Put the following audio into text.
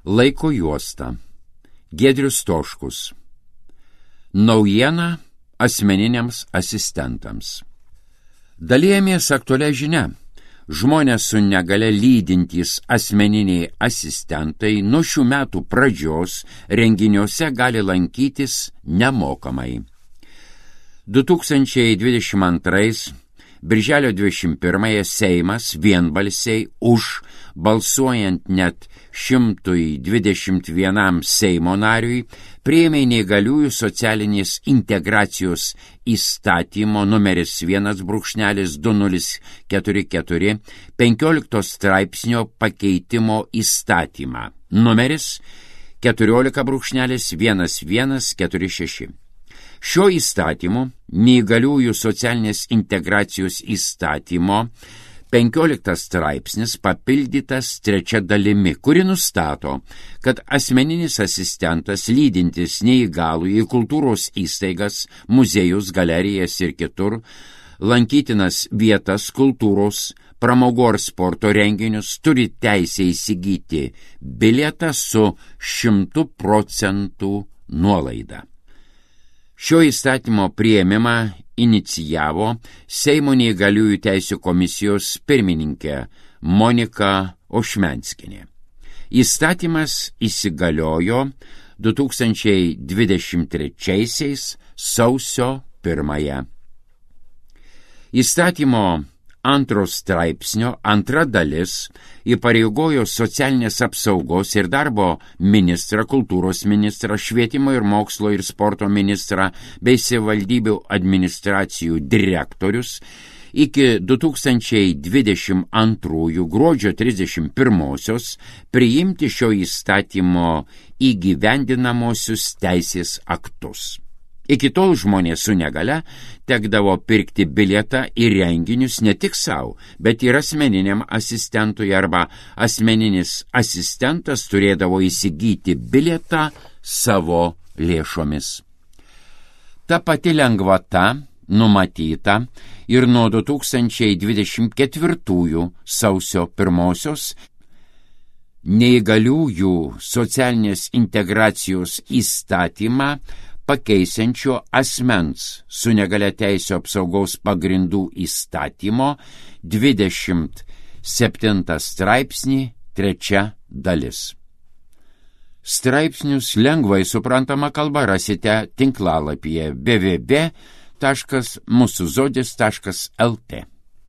Laiko juosta. Giedrius Stoškus. Naujiena asmeniniams asistentams. Dalijamės aktualią žinią. Žmonės su negale lydintys asmeniniai asistentai nuo šių metų pradžios renginiuose gali lankytis nemokamai. 2022 Birželio 21 Seimas vienbalsiai už, balsuojant net 121 Seimo nariui, priėmė neįgaliųjų socialinės integracijos įstatymo numeris 1/2044 15 straipsnio pakeitimo įstatymą numeris 14/1146. Šio įstatymu, neįgaliųjų socialinės integracijos įstatymo 15 straipsnis papildytas 3 dalimi, kuri nustato, kad asmeninis asistentas lydintis neįgalųjį į kultūros įstaigas, muziejus, galerijas ir kitur, lankytinas vietas, kultūros, pramogų ar sporto renginius turi teisę įsigyti bilietą su 100% nuolaida. Šio įstatymo priėmimą inicijavo Seimo neįgaliųjų teisių komisijos pirmininkė Monika Ošmenskienė. Įstatymas įsigaliojo 2023 sausio 1. Įstatymo 2 straipsnio 2 dalis įpareigojo socialinės apsaugos ir darbo ministrą, kultūros ministrą, švietimo ir mokslo ir sporto ministrą bei savivaldybių administracijų direktorius iki 2022 gruodžio 31 priimti šio įstatymo įgyvendinamosius teisės aktus. Iki tol žmonės su negale tekdavo pirkti bilietą į renginius ne tik savo, bet ir asmeniniam asistentui arba asmeninis asistentas turėdavo įsigyti bilietą savo lėšomis. Ta pati lengvata numatyta ir nuo 2024 sausio 1 neįgaliųjų socialinės integracijos įstatymą pakeisiančio asmens su negalia teisių apsaugos pagrindų įstatymo 27 straipsnį 3 dalis. Straipsnius lengvai suprantama kalba rasite tinklalapyje www.musuzodis.lt.